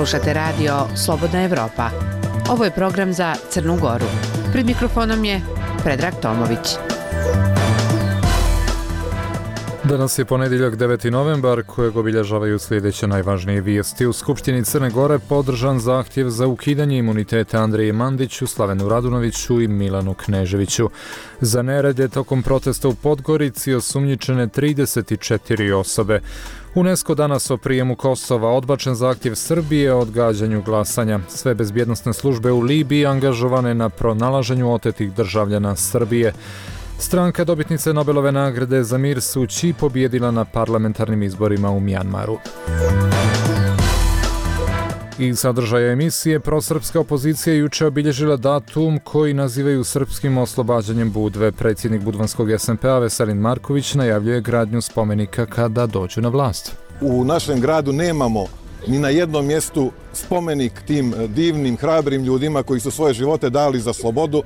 Slušate radio Slobodna Evropa. Ovo je program za Crnu Goru. Pred mikrofonom je Predrag Tomović. Danas je ponedjeljak 9. novembar kojeg obilježavaju sljedeće najvažnije vijesti. U Skupštini Crne Gore podržan zahtjev za ukidanje imuniteta Andriji Mandiću, Slavenu Radunoviću i Milanu Kneževiću. Za nerede tokom protesta u Podgorici osumnjičene 34 osobe. UNESCO danas o prijemu Kosova, odbačen zahtjev Srbije o odgađanju glasanja. Sve bezbjednosne službe u Libiji angažovane na pronalaženju otetih državljana Srbije. Stranka dobitnice Nobelove nagrade za mir Suu Kyi pobijedila na parlamentarnim izborima u Mjanmaru. I sadržaja emisije, prosrpska opozicija juče obilježila datum koji nazivaju srpskim oslobađanjem Budve. Predsjednik budvanskog SMP-a Veselin Marković najavljuje gradnju spomenika kada dođu na vlast. U našem gradu nemamo ni na jednom mjestu spomenik tim divnim, hrabrim ljudima koji su svoje živote dali za slobodu.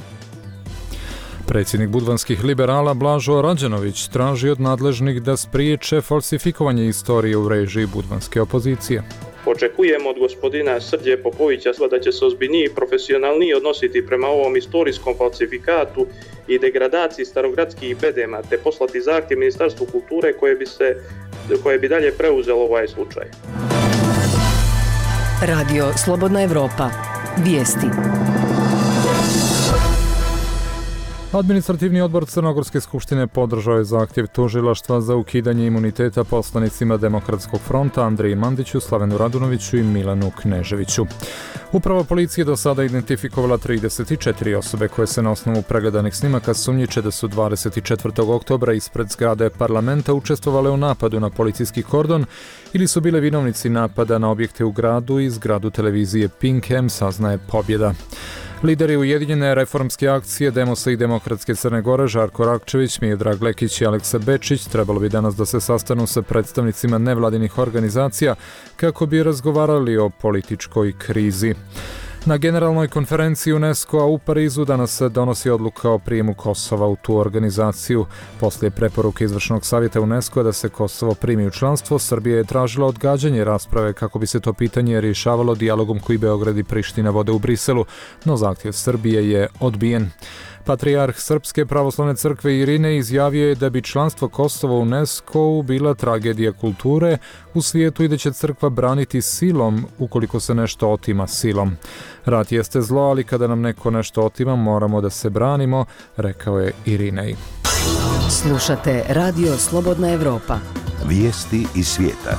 Predsjednik budvanskih liberala Blažo Rađenović traži od nadležnih da spriječe falsifikovanje istorije u režiji budvanske opozicije. Očekujemo od gospodina Srđe Popovića da će se ozbiljnije i profesionalnije odnositi prema ovom istorijskom falsifikatu i degradaciji starogradskih bedema, te poslati zahtjev Ministarstvu kulture koje bi dalje preuzelo ovaj slučaj. Radio Slobodna Evropa. Vijesti. Administrativni odbor Crnogorske skupštine podržao je zahtjev tužilaštva za ukidanje imuniteta poslanicima Demokratskog fronta Andriji Mandiću, Slavenu Radunoviću i Milanu Kneževiću. Uprava policije do sada identifikovala 34 osobe koje se na osnovu pregledanih snimaka sumnjiče da su 24. oktobra ispred zgrade parlamenta učestvovale u napadu na policijski kordon ili su bile vinovnici napada na objekte u gradu i zgradu televizije Pink M, saznaje Pobjeda. Lideri Ujedinjene reformske akcije Demosa i Demokratske Crne Gore Žarko Rakčević, Miodrag Lekić i Aleksa Bečić trebalo bi danas da se sastanu sa predstavnicima nevladinih organizacija kako bi razgovarali o političkoj krizi. Na generalnoj konferenciji UNESCO-a u Parizu danas se donosi odluka o prijemu Kosova u tu organizaciju. Poslije preporuke izvršnog savjeta UNESCO-a da se Kosovo primi u članstvo, Srbija je tražila odgađanje rasprave kako bi se to pitanje rješavalo dijalogom koji Beograd i Priština vode u Briselu, no zahtjev Srbije je odbijen. Patrijarh Srpske pravoslavne crkve Irinej izjavio je da bi članstvo Kosova u UNESCO-u bila tragedija kulture u svijetu i da će crkva braniti silom ukoliko se nešto otima silom. Rat jeste zlo, ali kada nam neko nešto otima moramo da se branimo, rekao je Irinej. Slušate Radio Slobodna Evropa. Vijesti iz svijeta.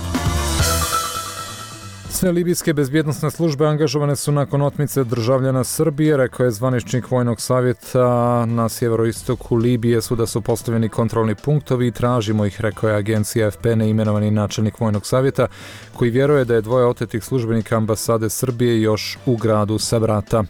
Sve libijske bezbjednosne službe angažovane su nakon otmice državljana Srbije, rekao je zvaničnik Vojnog savjeta na sjeveroistoku Libije da su postavljeni kontrolni punktovi i tražimo ih, rekao je agencija AFP neimenovani načelnik Vojnog savjeta, koji vjeruje da je dvoje otetih službenika ambasade Srbije još u gradu Sabrata.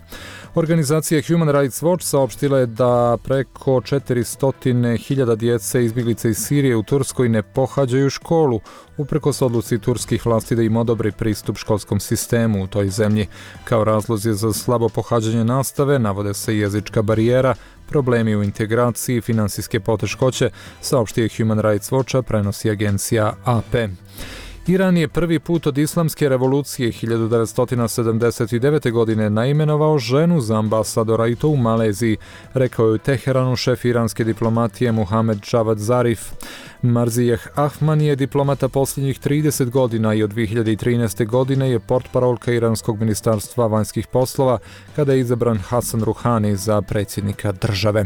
Organizacija Human Rights Watch saopštila je da preko 400.000 djece izbjeglica iz Sirije u Turskoj ne pohađaju školu, uprkos odluci turskih vlasti da im odobri pristup školskom sistemu u toj zemlji. Kao razlozi za slabo pohađanje nastave navode se jezička barijera, problemi u integraciji, finansijske poteškoće, saopštio Human Rights Watcha, prenosi agencija AP. Iran je prvi put od islamske revolucije 1979. godine naimenovao ženu za ambasadora i to u Maleziji, rekao je u Teheranu šef iranske diplomatije Muhamed Javad Zarif. Marzijeh Ahman je diplomata posljednjih 30 godina i od 2013. godine je portparolka Iranskog ministarstva vanjskih poslova kada je izabran Hasan Ruhani za predsjednika države.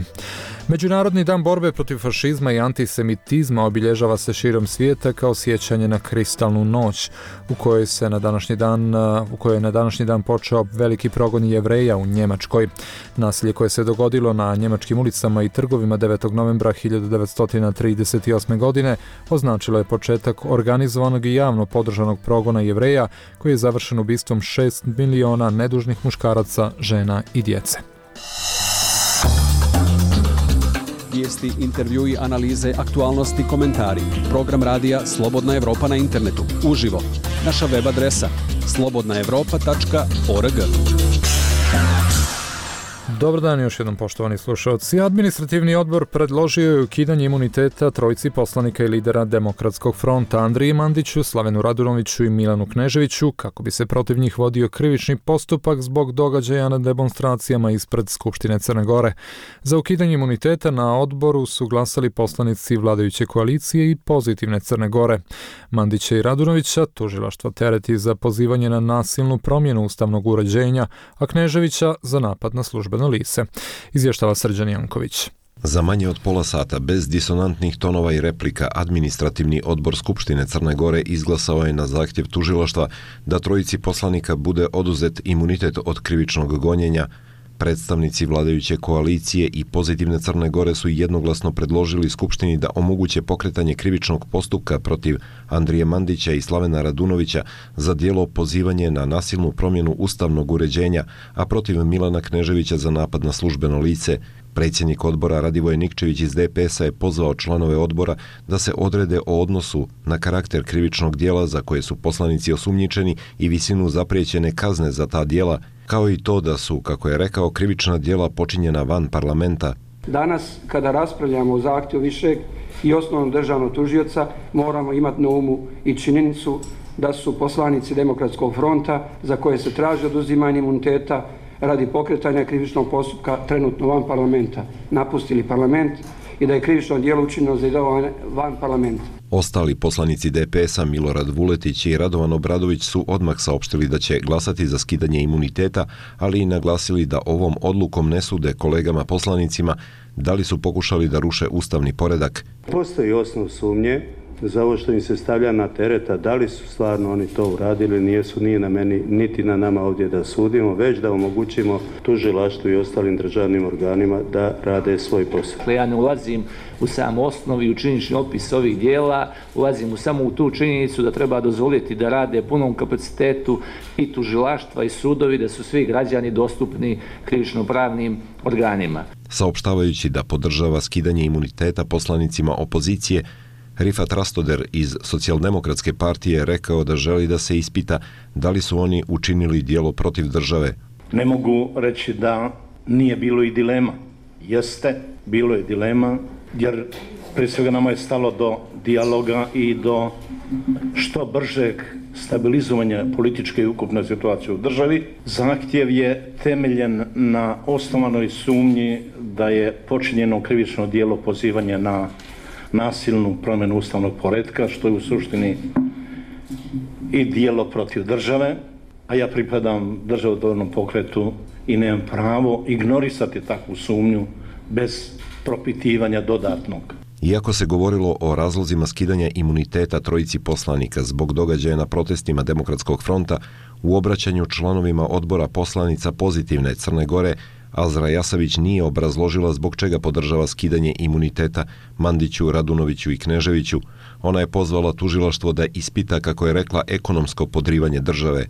Međunarodni dan borbe protiv fašizma i antisemitizma obilježava se širom svijeta kao sjećanje na kristalnu noć u kojoj je na današnji dan počeo veliki progon Jevreja u Njemačkoj. Nasilje koje se dogodilo na njemačkim ulicama i trgovima 9. novembra 1938. godine označilo je početak organizovanog i javno podržanog progona Jevreja koji je završen ubistvom 6 miliona nedužnih muškaraca, žena i djece. Vijesti, intervjui, analize, aktualnosti, komentari. Program radija Slobodna Evropa na internetu. Uživo. Naša web adresa slobodnaevropa.org. Dobar dan još jednom, poštovani slušalci. Administrativni odbor predložio je ukidanje imuniteta trojici poslanika i lidera Demokratskog fronta Andriji Mandiću, Slavenu Radunoviću i Milanu Kneževiću, kako bi se protiv njih vodio krivični postupak zbog događaja na demonstracijama ispred Skupštine Crne Gore. Za ukidanje imuniteta na odboru su glasali poslanici vladajuće koalicije i Pozitivne Crne Gore. Mandića i Radunovića tužilaštvo tereti za pozivanje na nasilnu promjenu ustavnog uređenja, a Kneževića za napad na službeno lice. Izvještava Srđan Janković. Za manje od pola sata, bez disonantnih tonova i replika, administrativni odbor Skupštine Crne Gore izglasao je na zahtjev tužilaštva da trojici poslanika bude oduzet imunitet od krivičnog gonjenja. Predstavnici vladajuće koalicije i Pozitivne Crne Gore su jednoglasno predložili Skupštini da omoguće pokretanje krivičnog postupka protiv Andrije Mandića i Slavena Radunovića za djelo pozivanje na nasilnu promjenu ustavnog uređenja, a protiv Milana Kneževića za napad na službeno lice. Predsjednik odbora Radivoje Nikčević iz DPS-a je pozvao članove odbora da se odrede o odnosu na karakter krivičnog djela za koje su poslanici osumnjičeni i visinu zapriječene kazne za ta djela, kao i to da su, kako je rekao, krivična djela počinjena van parlamenta. Danas, kada raspravljamo o zahtjevu višeg i osnovnog državnog tužioca, moramo imati na umu i činjenicu da su poslanici Demokratskog fronta, za koje se traži oduzimanje imuniteta radi pokretanja krivičnog postupka, trenutno van parlamenta, napustili parlament i da je krivično djelo učinjeno za idovanje van parlamenta. Ostali poslanici DPS-a Milorad Vuletić i Radovan Obradović su odmah saopštili da će glasati za skidanje imuniteta, ali i naglasili da ovom odlukom ne sude kolegama poslanicima da li su pokušali da ruše ustavni poredak. Postoji osnov sumnje za ovo što im se stavlja na tereta, da li su stvarno oni to uradili, nijesu, nije na meni niti na nama ovdje da sudimo, već da omogućimo tužilaštvu i ostalim državnim organima da rade svoj posao. Ja ne ulazim u sam osnov i u činjenični opis ovih dijela, ulazim samo u tu činjenicu da treba dozvoliti da rade punom kapacitetu i tužilaštva i sudovi, da su svi građani dostupni krivično-pravnim organima. Saopštavajući da podržava skidanje imuniteta poslanicima opozicije, Rifat Rastoder iz Socijaldemokratske partije rekao da želi da se ispita da li su oni učinili djelo protiv države. Ne mogu reći da nije bilo i dilema. Jeste, bilo je dilema, jer prije svega nama je stalo do dijaloga i do što bržeg stabilizovanja političke i ukupne situacije u državi. Zahtjev je temeljen na osnovanoj sumnji da je počinjeno krivično djelo pozivanja na nasilnu promjenu ustavnog poretka, što je u suštini i djelo protiv države, a ja pripadam državotvornom pokretu i nemam pravo ignorisati takvu sumnju bez propitivanja dodatnog. Iako se govorilo o razlozima skidanja imuniteta trojici poslanika zbog događaja na protestima Demokratskog fronta, u obraćanju članovima odbora poslanica Pozitivne Crne Gore Azra Jasavić nije obrazložila zbog čega podržava skidanje imuniteta Mandiću, Radunoviću i Kneževiću. Ona je pozvala tužilaštvo da ispita, kako je rekla, ekonomsko podrivanje države.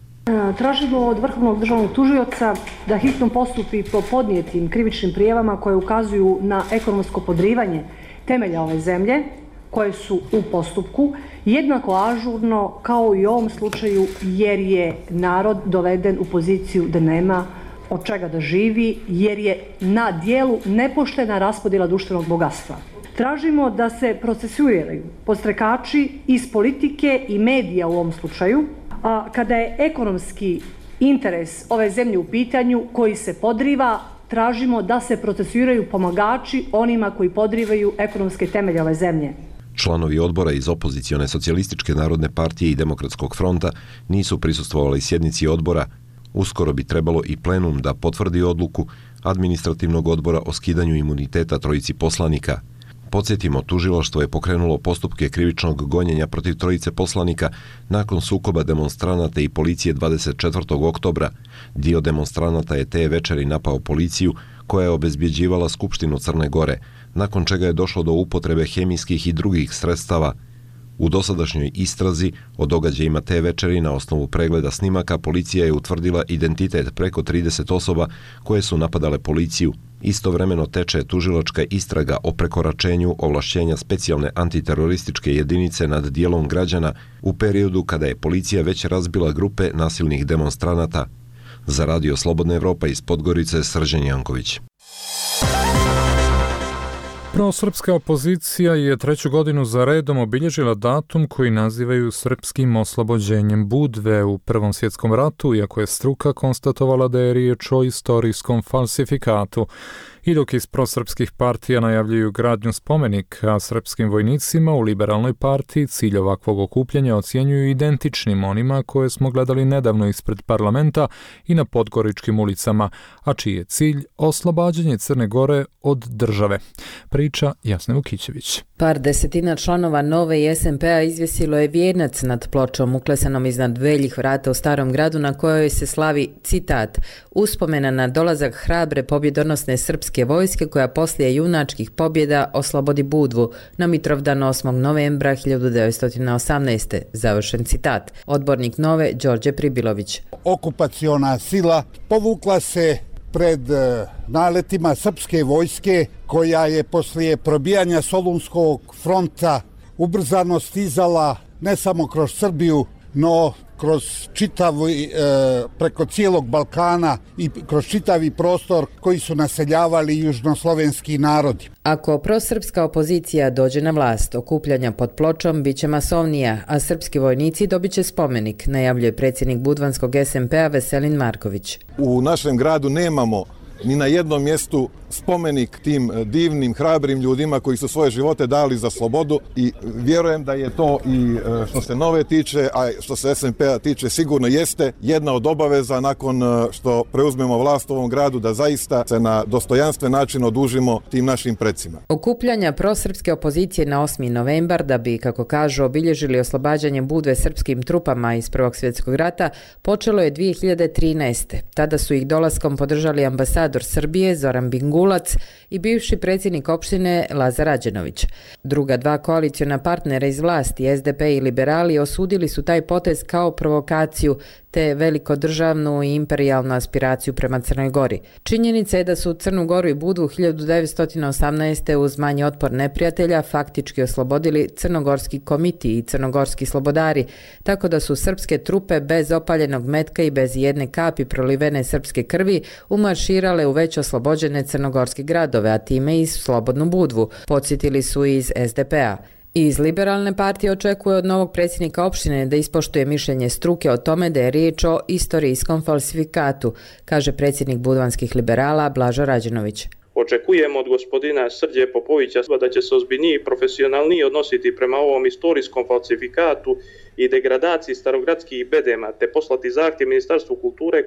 Tražimo od Vrhovnog državnog tužioca da hitno postupi po podnijetim krivičnim prijavama koje ukazuju na ekonomsko podrivanje temelja ove zemlje, koje su u postupku, jednako ažurno kao i u ovom slučaju, jer je narod doveden u poziciju da nema od čega da živi, jer je na dijelu nepoštena raspodjela društvenog bogatstva. Tražimo da se procesuiraju podstrekači iz politike i medija u ovom slučaju, a kada je ekonomski interes ove zemlje u pitanju koji se podriva, tražimo da se procesuiraju pomagači onima koji podrivaju ekonomske temelje ove zemlje. Članovi odbora iz opozicione Socijalističke narodne partije i Demokratskog fronta nisu prisustvovali sjednici odbora. Uskoro bi trebalo i plenum da potvrdi odluku administrativnog odbora o skidanju imuniteta trojici poslanika. Podsjetimo, tužilaštvo je pokrenulo postupke krivičnog gonjenja protiv trojice poslanika nakon sukoba demonstranata i policije 24. oktobra. Dio demonstranata je te večeri napao policiju koja je obezbjeđivala Skupštinu Crne Gore, nakon čega je došlo do upotrebe hemijskih i drugih sredstava. U dosadašnjoj istrazi o događajima te večeri na osnovu pregleda snimaka policija je utvrdila identitet preko 30 osoba koje su napadale policiju. Istovremeno teče tužilačka istraga o prekoračenju ovlašćenja specijalne antiterorističke jedinice nad dijelom građana u periodu kada je policija već razbila grupe nasilnih demonstranata. Za radio Slobodna Evropa iz Podgorice, Srđan Janković. Prosrpska opozicija je 3. godinu za redom obilježila datum koji nazivaju srpskim oslobođenjem Budve u Prvom svjetskom ratu, iako je struka konstatovala da je riječ o istorijskom falsifikatu. I dok iz prosrpskih partija najavljuju gradnju spomenika srpskim vojnicima, u Liberalnoj partiji cilj ovakvog okupljanja ocjenjuju identičnim onima koje smo gledali nedavno ispred parlamenta i na podgoričkim ulicama, a čiji je cilj oslobađanje Crne Gore od države. Priča Jasna Vukićević. Par desetina članova Nove i SNP-a izvjesilo je vijenac nad pločom uklesanom iznad veljih vrata u Starom gradu na kojoj se slavi, citat, uspomena na dolazak hrabre pobjedonosne srpske vojske koja poslije junačkih pobjeda oslobodi Budvu na Mitrovdan 8. novembra 1918. Završen citat. Odbornik Nove Đorđe Pribilović. Okupaciona sila povukla se pred naletima srpske vojske koja je poslije probijanja Solunskog fronta ubrzano stizala ne samo kroz Srbiju, no kroz preko cijelog Balkana i kroz čitavi prostor koji su naseljavali južnoslovenski narodi. Ako prosrpska opozicija dođe na vlast, okupljanja pod pločom biće masovnija, a srpski vojnici dobit će spomenik, najavljuje predsjednik budvanskog SNP-a Veselin Marković. U našem gradu nemamo ni na jednom mjestu spomenik tim divnim, hrabrim ljudima koji su svoje živote dali za slobodu i vjerujem da je to i što se Nove tiče, a što se SNP-a tiče sigurno jeste jedna od obaveza nakon što preuzmemo vlast u ovom gradu da zaista se na dostojanstven način odužimo tim našim precima. Okupljanja prosrpske opozicije na 8. novembar da bi, kako kažu, obilježili oslobađanje Budve srpskim trupama iz Prvog svjetskog rata počelo je 2013. Tada su ih dolaskom podržali ambasador Srbije Zoran Bingulac i bivši predsjednik opštine Lazar Rađenović. Druga dva koaliciona partnera iz vlasti, SDP i Liberali, osudili su taj potez kao provokaciju te velikodržavnu i imperijalnu aspiraciju prema Crnoj Gori. Činjenica je da su Crnu Goru i Budvu 1918. uz manji otpor neprijatelja faktički oslobodili Crnogorski komiti i Crnogorski slobodari, tako da su srpske trupe bez opaljenog metka i bez jedne kapi prolivene srpske krvi umarširale u već oslobođene crnogorske gradove, a time i slobodnu Budvu, podsjetili su iz SDP-a. Iz Liberalne partije očekuje od novog predsjednika opštine da ispoštuje mišljenje struke o tome da je riječ o istorijskom falsifikatu, kaže predsjednik budvanskih liberala Blažo Rađenović. Očekujemo od gospodina Srđe Popovića da će se ozbiljnije i profesionalnije odnositi prema ovom istorijskom falsifikatu i degradaciji starogradskih bedema, te poslati zahtjev Ministarstvu kulture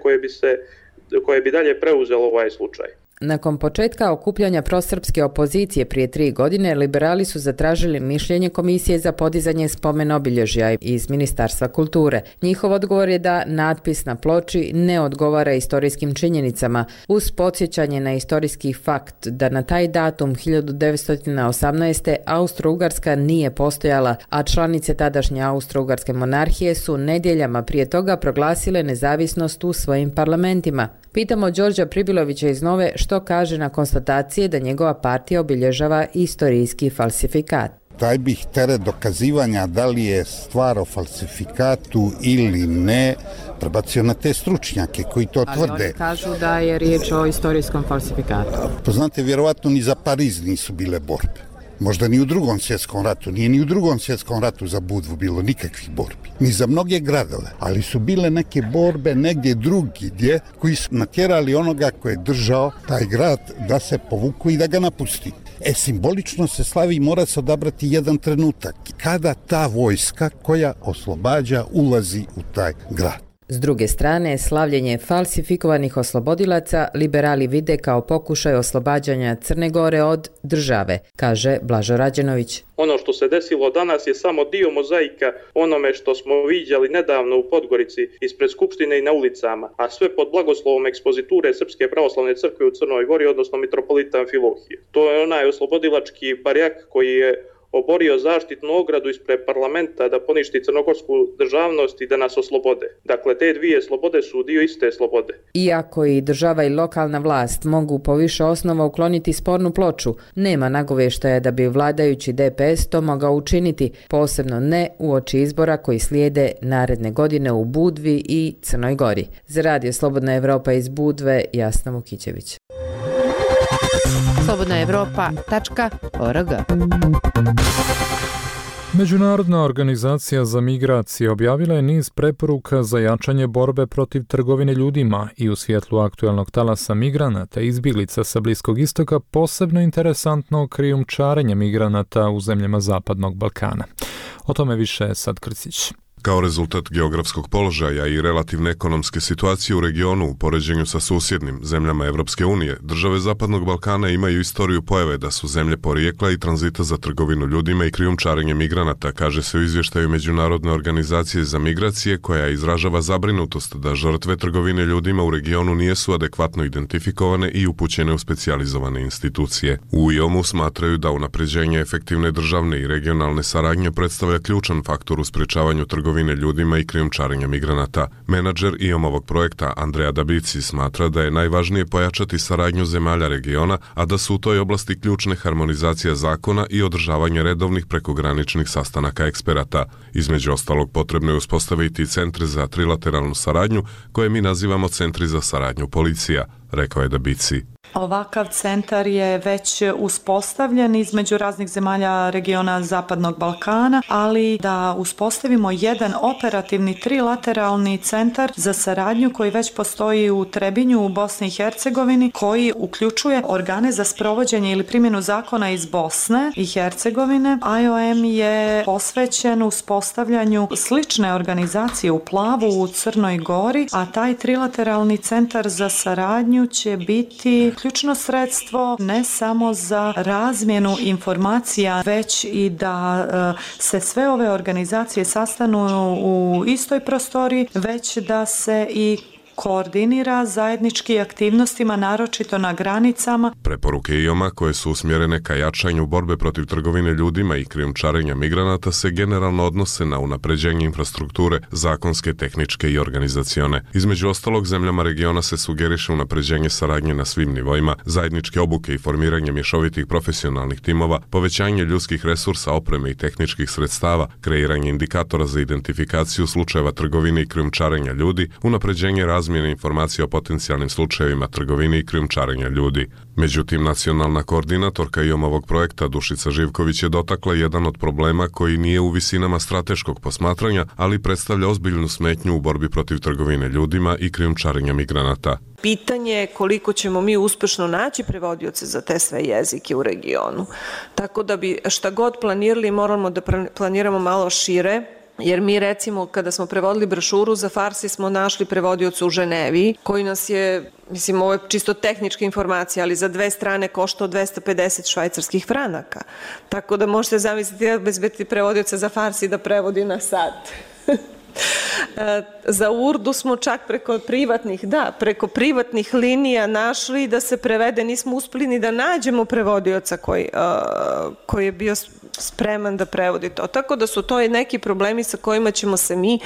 koje bi dalje preuzelo ovaj slučaj. Nakon početka okupljanja prosrpske opozicije prije 3 godine, liberali su zatražili mišljenje Komisije za podizanje spomen obilježja iz Ministarstva kulture. Njihov odgovor je da natpis na ploči ne odgovara istorijskim činjenicama, uz podsjećanje na istorijski fakt da na taj datum 1918. Austro-Ugarska nije postojala, a članice tadašnje Austro-Ugarske monarhije su nedjeljama prije toga proglasile nezavisnost u svojim parlamentima. Pitamo Đorđa Pribilovića iz Nove što kaže na konstatacije da njegova partija obilježava istorijski falsifikat. Taj bih teret dokazivanja da li je stvar o falsifikatu ili ne prebacio na te stručnjake koji to tvrde. Ali oni kažu da je riječ o istorijskom falsifikatu. Poznate, vjerovatno ni za Pariz nisu bile borbe. Možda ni u Drugom svjetskom ratu. Nije ni u Drugom svjetskom ratu za Budvu bilo nikakvih borbi. Ni za mnoge gradove. Ali su bile neke borbe negdje drugdje koji su natjerali onoga koji je držao taj grad da se povuku i da ga napusti. Simbolično se slavi, mora se odabrati jedan trenutak kada ta vojska koja oslobađa ulazi u taj grad. S druge strane, slavljenje falsifikovanih oslobodilaca liberali vide kao pokušaj oslobađanja Crne Gore od države, kaže Blažo Rađenović. Ono što se desilo danas je samo dio mozaika onome što smo viđali nedavno u Podgorici ispred Skupštine i na ulicama, a sve pod blagoslovom ekspoziture Srpske pravoslavne crkve u Crnoj Gori, odnosno mitropolita Amfilohije. To je onaj oslobodilački barjak koji je oborio zaštitnu ogradu ispred parlamenta da poništi crnogorsku državnost i da nas oslobode. Dakle, te dvije slobode su dio iste slobode. Iako i država i lokalna vlast mogu po više osnova ukloniti spornu ploču, nema nagovještaja da bi vladajući DPS to mogao učiniti, posebno ne uoči izbora koji slijede naredne godine u Budvi i Crnoj Gori. Za Radio Slobodna Evropa iz Budve, Jasna Vukićević. slobodnaevropa.org. Međunarodna organizacija za migracije objavila je niz preporuka za jačanje borbe protiv trgovine ljudima i u svjetlu aktualnog talasa migranata i izbjeglica sa Bliskog istoka posebno interesantno krijumčarenje migranata u zemljama Zapadnog Balkana. O tome više Sad Krcić. Kao rezultat geografskog položaja i relativne ekonomske situacije u regionu u poređenju sa susjednim zemljama Evropske unije, države Zapadnog Balkana imaju istoriju pojave da su zemlje porijekla i tranzita za trgovinu ljudima i krijumčarenje migranata, kaže se u izvještaju Međunarodne organizacije za migracije, koja izražava zabrinutost da žrtve trgovine ljudima u regionu nisu adekvatno identifikovane i upućene u specijalizovane institucije. U IOM-u smatraju da unapređenje efektivne državne i regionalne saradnje predstavlja ključan faktor u sprečavanju trgovine ljudima i krijumčarenja migranata. Menadžer IOM-ovog projekta Andrea Dabici smatra da je najvažnije pojačati saradnju zemalja regiona, a da su u toj oblasti ključne harmonizacija zakona i održavanje redovnih prekograničnih sastanaka eksperata. Između ostalog, potrebno je uspostaviti centre za trilateralnu saradnju, koje mi nazivamo centri za saradnju policija, rekao je Dabici. Ovakav centar je već uspostavljen između raznih zemalja regiona Zapadnog Balkana, ali da uspostavimo jedan operativni trilateralni centar za saradnju koji već postoji u Trebinju u Bosni i Hercegovini, koji uključuje organe za sprovođenje ili primjenu zakona iz Bosne i Hercegovine. IOM je posvećen uspostavljanju slične organizacije u Plavu u Crnoj Gori, a taj trilateralni centar za saradnju će biti ključno sredstvo ne samo za razmjenu informacija, već i da se sve ove organizacije sastanu u istoj prostoriji, već da se i koordinira zajednički aktivnostima, naročito na granicama. Preporuke IOM-a, koje su usmjerene ka jačanju borbe protiv trgovine ljudima i krijumčarenja migranata, se generalno odnose na unapređenje infrastrukture, zakonske, tehničke i organizacione. Između ostalog, zemljama regiona se sugeriše unapređenje saradnje na svim nivoima, zajedničke obuke i formiranje mješovitih profesionalnih timova, povećanje ljudskih resursa, opreme i tehničkih sredstava, kreiranje indikatora za identifikaciju slučajeva trgovine i krijumčarenja ljudi, unapređenje razmjene informacija o potencijalnim slučajevima trgovine i krijumčarenja ljudi. Međutim, nacionalna koordinatorka IOM-ovog projekta Dušica Živković je dotakla jedan od problema koji nije u visinama strateškog posmatranja, ali predstavlja ozbiljnu smetnju u borbi protiv trgovine ljudima i krijumčarenja migranata. Pitanje je koliko ćemo mi uspješno naći prevodioce za te sve jezike u regionu. Tako da bi šta god planirali, moramo da planiramo malo šire. Jer mi recimo kada smo prevodili brošuru za Farsi smo našli prevodioca u Ženevi koji nas je, mislim ovo je čisto tehnička informacija, ali za 2 strane koštao 250 švajcarskih franaka. Tako da možete zamisliti da bezbediti prevodioca za Farsi da prevodi na sat. Za Urdu smo čak preko privatnih linija našli da se prevede, nismo uspjeli ni da nađemo prevodioca koji je bio spreman da prevodi to. Tako da su to i neki problemi sa kojima ćemo se mi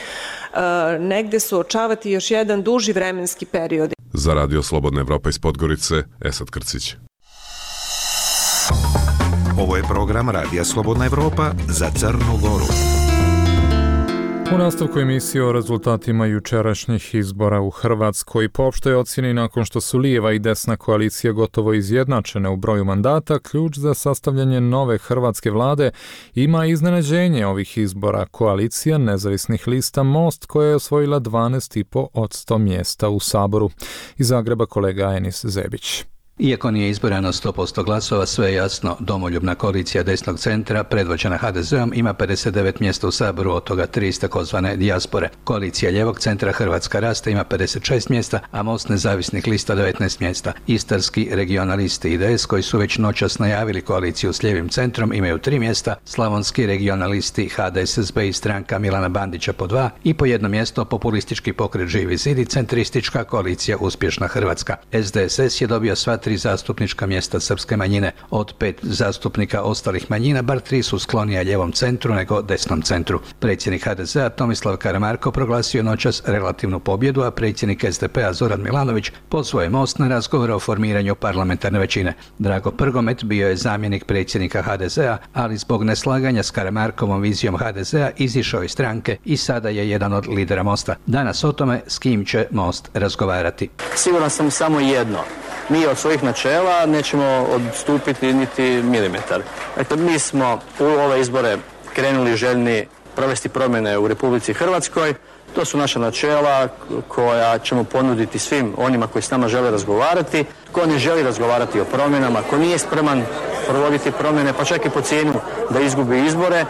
negde suočavati još jedan duži vremenski period. Za Radio Slobodna Evropa iz Podgorice, Esad Krcić. Ovo je program Radija Slobodna Evropa za Crnu Goru. U nastavku emisije o rezultatima jučerašnjih izbora u Hrvatskoj, po opštoj ocjeni nakon što su lijeva i desna koalicija gotovo izjednačene u broju mandata, ključ za sastavljanje nove hrvatske vlade ima iznenađenje ovih izbora. Koalicija nezavisnih lista Most, koja je osvojila 12,5% mjesta u Saboru. Iz Zagreba kolega Enis Zebić. Iako nije izborano 100% glasova, sve je jasno, domoljubna koalicija desnog centra, predvođena HDZ-om, ima 59 mjesta u Saboru, od toga 3 iz takozvane dijaspore. Koalicija ljevog centra Hrvatska raste ima 56 mjesta, a Most nezavisnih lista 19 mjesta. Istarski regionalisti IDS, koji su već noćas najavili koaliciju s ljevim centrom, imaju 3 mjesta, slavonski regionalisti HDSSB i stranka Milana Bandića po 2 i po 1 mjesto populistički pokret Živi zid i centristička koalicija Uspješna Hrvatska. SDSS je dobio sva 3 zastupnička mjesta srpske manjine. Od 5 zastupnika ostalih manjina, bar 3 su sklonija ljevom centru nego desnom centru. Predsjednik HDZ-a Tomislav Karamarko proglasio noćas relativnu pobjedu, a predsjednik SDP-a Zoran Milanović pozvao je Most na razgovor o formiranju parlamentarne većine. Drago Prgomet bio je zamjenik predsjednika HDZ-a, ali zbog neslaganja s Karamarkovom vizijom HDZ-a izišao iz stranke i sada je jedan od lidera Mosta. Danas o tome s kim će Most razgovarati. Siguran sam samo jedno. Mi od svojih načela nećemo odstupiti niti milimetar. Dakle, mi smo u ove izbore krenuli željni provesti promjene u Republici Hrvatskoj. To su naša načela koja ćemo ponuditi svim onima koji s nama žele razgovarati. Ko ne želi razgovarati o promjenama, ko nije spreman provoditi promjene, pa čak i po cijenu da izgubi izbore,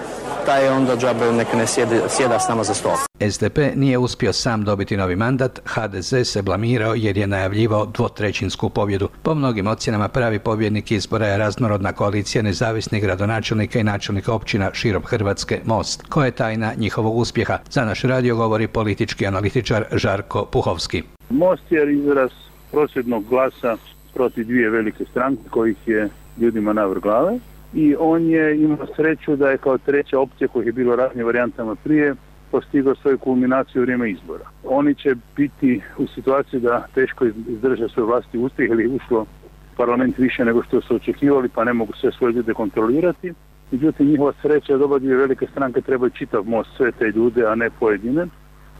taj je onda džabe neka ne sjeda s nama za stol. SDP nije uspio sam dobiti novi mandat, HDZ se blamirao jer je najavljivao 2/3 pobjedu. Po mnogim ocjenama pravi pobjednik izbora je raznorodna koalicija nezavisnih gradonačelnika i načelnika općina širom Hrvatske Most. Koja je tajna njihovog uspjeha? Za naš radio govori politički analitičar Žarko Puhovski. Most je izraz prosvjednog glasa protiv dvije velike stranke kojih je ljudima navrh glave. I on je imao sreću da je kao treća opcija kojih je bilo raznim varijantama prije postigao svoju kulminaciju u vrijeme izbora. Oni će biti u situaciji da teško izdrže svoj vlastiti uspjeh ili ušlo parlament više nego što su očekivali pa ne mogu sve svoje ljude kontrolirati. Međutim, njihova sreća je doba dvije velike stranke trebaju čitav Most, sve te ljude, a ne pojedine.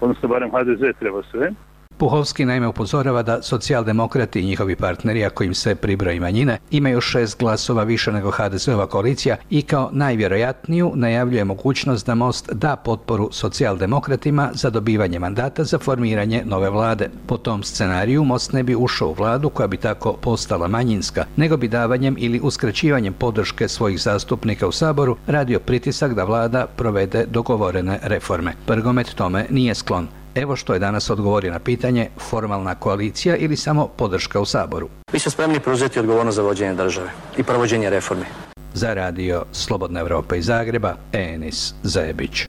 Odnosno, barem HDZ treba sve. Puhovski naime upozorava da socijaldemokrati i njihovi partneri, ako im se pribroji manjine, imaju 6 glasova više nego HDZ-ova koalicija i kao najvjerojatniju najavljuje mogućnost da Most da potporu socijaldemokratima za dobivanje mandata za formiranje nove vlade. Po tom scenariju Most ne bi ušao u vladu koja bi tako postala manjinska, nego bi davanjem ili uskraćivanjem podrške svojih zastupnika u Saboru radio pritisak da vlada provede dogovorene reforme. Prgomet tome nije sklon. Evo što je danas odgovorio na pitanje formalna koalicija ili samo podrška u Saboru. Mi smo spremni preuzeti odgovornost za vođenje države i provođenje reformi. Za radio Slobodna Evropa iz Zagreba, Enis Zebić.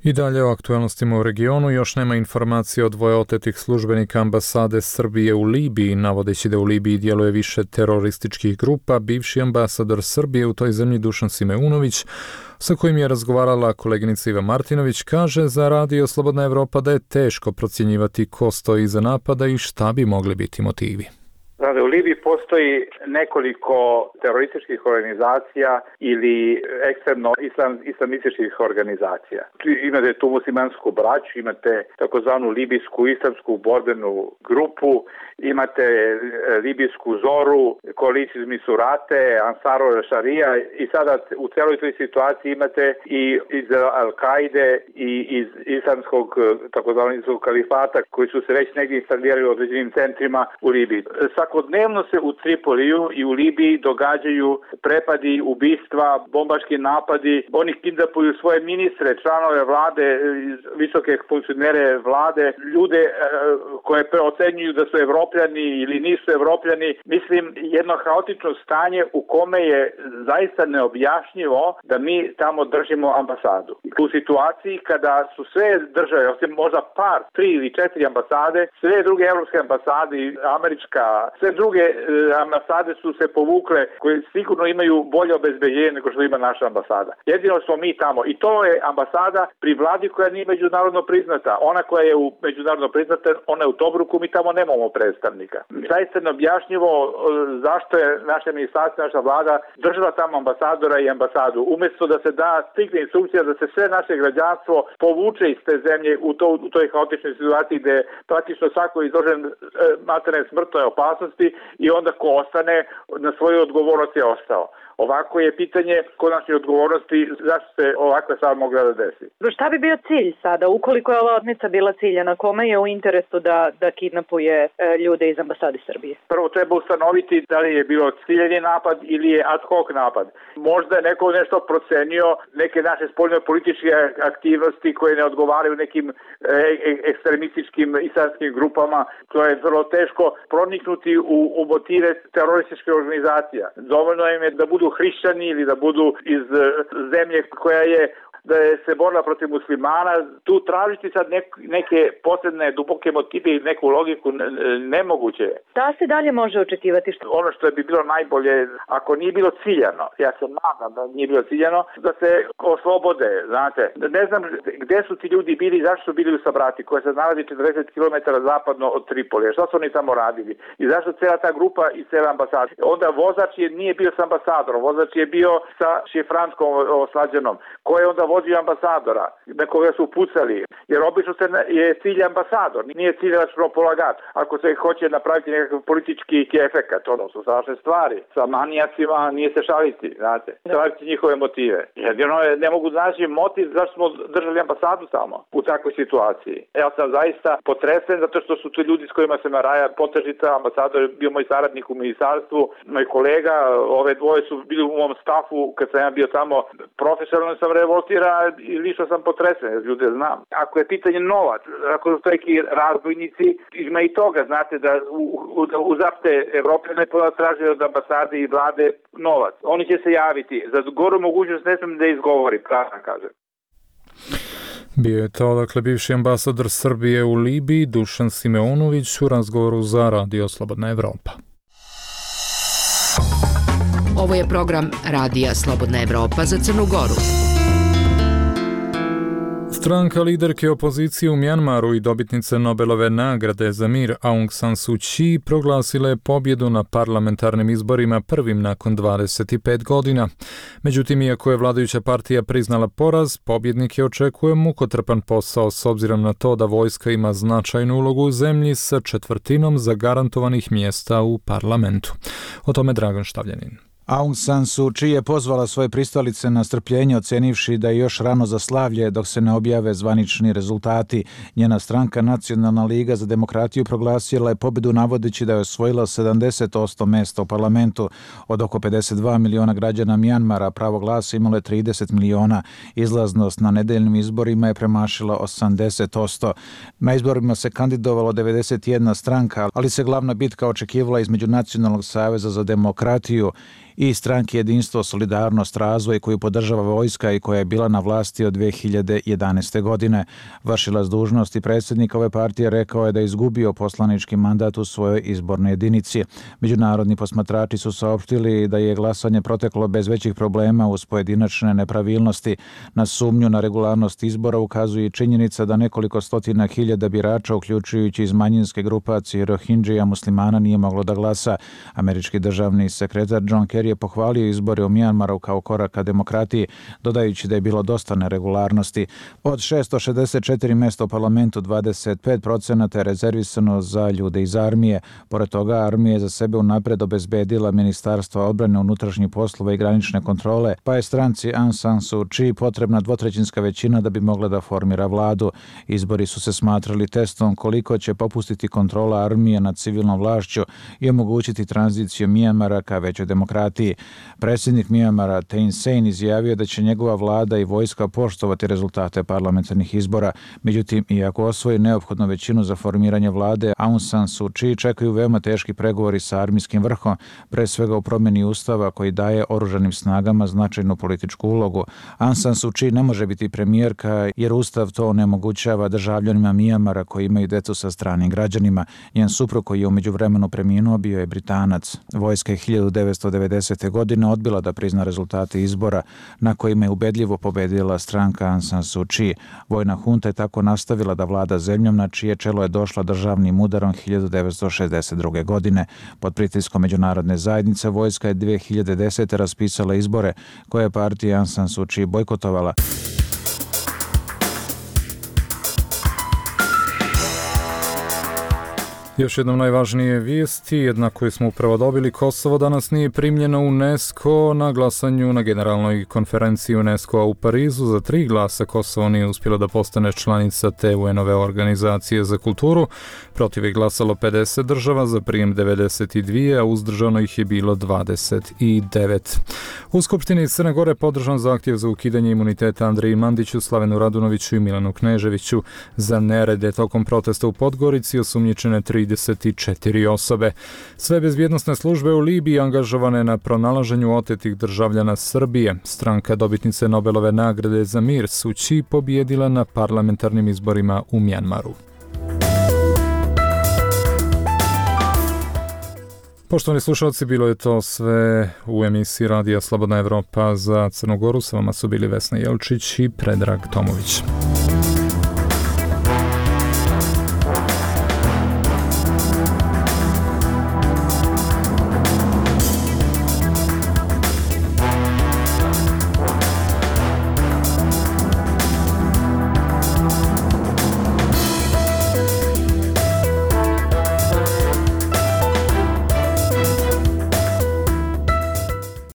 I dalje o aktualnostima u regionu. Još nema informacije o 2 otetih službenika ambasade Srbije u Libiji, navodeći da u Libiji djeluje više terorističkih grupa. Bivši ambasador Srbije u toj zemlji Dušan Simeunović, sa kojim je razgovarala koleginica Iva Martinović, kaže za radio Slobodna Evropa da je teško procjenjivati ko stoji iza napada i šta bi mogli biti motivi. U Libiji postoji nekoliko terorističkih organizacija ili ekstremno islamističkih organizacija. Imate tu muslimansku braću, imate takozvanu libijsku islamsku borbenu grupu, imate libijsku Zoru, koaliciju Misurate, Ansaro Šarija i sada u celoj toj situaciji imate i iz Al-Kaide i iz islamskog takozvanog kalifata koji su se već negdje instalirali u određenim centrima u Libiji. Svakodnevno se u Tripoliju i u Libiji događaju prepadi, ubistva, bombaški napadi. Oni kidnapuju svoje ministre, članove vlade, visoke funkcionere vlade, ljude koje ocenjuju da su Evropljani ili nisu Evropljani. Mislim, jedno haotično stanje u kome je zaista neobjašnjivo da mi tamo držimo ambasadu. U situaciji kada su sve države, osim možda par, 3 ili 4 ambasade, sve druge evropske ambasade, američka, sve druge ambasade su se povukle koje sigurno imaju bolje obezbeđenje nego što ima naša ambasada. Jedino smo mi tamo i to je ambasada pri vladi koja nije međunarodno priznata. Ona koja je međunarodno priznata, ona je u Tobruku, mi tamo nemamo predstavnika. Zaista neobjašnjivo zašto je naše ministarstvo, naša vlada držala tamo ambasadora i ambasadu. Umjesto da se da striktna instrukcija da se sve naše građanstvo povuče iz te zemlje u toj haotičnoj situaciji gdje je praktično svako izložen materne smrtnoj opasnosti i onda ko ostane na svoju odgovornost je ostao. Ovako je pitanje konačne odgovornosti zašto se ovakva stvar mogla da desi. Šta bi bio cilj sada, ukoliko je ova otmica bila ciljana? Kome je u interesu da kidnapuje ljude iz ambasade Srbije? Prvo treba ustanoviti da li je bilo ciljeni napad ili je ad hoc napad. Možda je neko nešto procenio, neke naše spoljno političke aktivnosti koje ne odgovaraju nekim ekstremističkim islamskim grupama. To je vrlo teško proniknuti u motive terorističke organizacija. Dovoljno im je da budu hrišćani ili da budu iz zemlje koja je da je se borila protiv muslimana. Tu tražiti sad neke posebne duboke motive i neku logiku nemoguće je. Da se dalje može očekivati? Ono što bi bilo najbolje, ako nije bilo ciljano, ja se nadam da nije bilo ciljano, da se oslobode, znate. Ne znam gde su ti ljudi bili i zašto su bili u Sabrati, koja se nalazi 40 km zapadno od Tripolija. Što su oni tamo radili? I zašto cijela ta grupa i cijela ambasada? Onda vozač nije bio s ambasadorom, vozač je bio sa šifranskom oslađenom. Ko je onda vozio ambasadora? Na koga su pucali? Jer obično je cilj ambasador, nije cilj računopolagač. Ako se hoće napraviti nekakav politički efekat, ono su strašne stvari. Sa manijacima nije se šaliti, znate. Šaliti njihove motive. Jedino ne mogu naći motiv zašto smo držali ambasadu samo u takvoj situaciji. Ja sam zaista potresen zato što su to ljudi s kojima se Maraja Potežica, ambasador, bio moj saradnik u ministarstvu, moj kolega, ove dvoje su bili u mom stafu kad sam ja bio tamo, profesionalno sam revoltira i lično sam potresen, jer ljude znam. Ako je pitanje novac, ako su to neki razbojnici, ima i toga, znate, da uzapte Evrope ne traže od ambasade i vlade novac. Oni će se javiti. Za goru mogućnost ne sam da izgovori, pravno kažem. Bio je to, dakle, bivši ambasador Srbije u Libiji, Dušan Simeonović, u razgovoru za Radio Slobodna Evropa. Ovo je program Radija Slobodna Evropa za Crnu Goru. Stranka liderke opozicije u Mjanmaru i dobitnice Nobelove nagrade za mir Aung San Suu Kyi proglasila je pobjedu na parlamentarnim izborima prvim nakon 25 godina. Međutim, iako je vladajuća partija priznala poraz, pobjednik je očekuje mukotrpan posao s obzirom na to da vojska ima značajnu ulogu u zemlji sa 1/4 zagarantovanih mjesta u parlamentu. O tome Dragan Štavljanin. Aung San Suu Kyi je pozvala svoje pristalice na strpljenje, ocenivši da je još rano za slavlje dok se ne objave zvanični rezultati. Njena stranka Nacionalna liga za demokratiju proglasila je pobjedu navodeći da je osvojila 70% mjesta u parlamentu. Od oko 52 miliona građana Mjanmara pravo glasa imalo je 30 miliona. Izlaznost na nedeljnim izborima je premašila 80%. Na izborima se kandidovalo 91 stranka, ali se glavna bitka očekivala između Nacionalnog saveza za demokratiju i stranke Jedinstvo, solidarnost, razvoj koju podržava vojska i koja je bila na vlasti od 2011. godine. Vršilac dužnosti predsjednika ove partije rekao je da je izgubio poslanički mandat u svojoj izbornoj jedinici. Međunarodni posmatrači su saopštili da je glasanje proteklo bez većih problema uz pojedinačne nepravilnosti. Na sumnju na regularnost izbora ukazuje i činjenica da nekoliko stotina hiljada birača, uključujući iz manjinske grupacije Rohingya muslimana, nije moglo da glasa. Američki državni sekretar John Kerry je pohvalio izbore u Mjanmaru kao korak ka demokratiji, dodajući da je bilo dosta neregularnosti. Od 664 mjesta u parlamentu, 25% je rezervisano za ljude iz armije. Pored toga, armija je za sebe unapred obezbedila Ministarstva odbrane, unutrašnjih poslova i granične kontrole, pa je stranci Aung San Suu Kyi potrebna 2/3 većina da bi mogla da formira vladu. Izbori su se smatrali testom koliko će popustiti kontrola armije nad civilnom vlašću i omogućiti tranziciju Mjanmara ka većoj demokratiji. Predsjednik Mjanmara Thein Sein izjavio da će njegova vlada i vojska poštovati rezultate parlamentarnih izbora. Međutim, iako osvoji neophodnu većinu za formiranje vlade, Aung San Suu Kyi čekaju veoma teški pregovori sa armijskim vrhom, pre svega u promjeni ustava koji daje oružanim snagama značajnu političku ulogu. Aung San Suu Kyi ne može biti premijerka jer ustav to onemogućava državljanima Mjanmara koji imaju decu sa stranim građanima. Njen suprug koji je u međuvremenu preminuo bio je Britanac. Vojska je 1990. godine odbila da prizna rezultate izbora na kojima je ubedljivo pobedila stranka Aung San Suu Kyi. Vojna hunta je tako nastavila da vlada zemljom na čije čelo je došla državnim udarom 1962. godine. Pod pritiskom međunarodne zajednice vojska je 2010. raspisala izbore koje je partija Aung San Suu Kyi bojkotovala. Još jednom najvažnije vijesti, jedna koju smo upravo dobili, Kosovo danas nije primljeno u UNESCO na glasanju na generalnoj konferenciji UNESCO-a u Parizu. Za 3 glasa Kosovo nije uspjelo da postane članica te UN-ove organizacije za kulturu. Protiv je glasalo 50 država, za prijem 92, a uzdržano ih je bilo 29. U Skupštini Crne Gore podržan zahtjev za ukidanje imuniteta Andreji Mandiću, Slavenu Radunoviću i Milanu Kneževiću za nerede tokom protesta u Podgorici. Osumnjičene 3 34 osobe. Sve bezbjednosne službe u Libiji angažovane na pronalaženju otetih državljana Srbije. Stranka dobitnice Nobelove nagrade za mir Suu Kyi pobijedila na parlamentarnim izborima u Mjanmaru. Poštovani slušalci, bilo je to sve u emisiji Radija Slobodna Evropa za Crnu Goru. Sa vama su bili Vesna Jelčić i Predrag Tomović.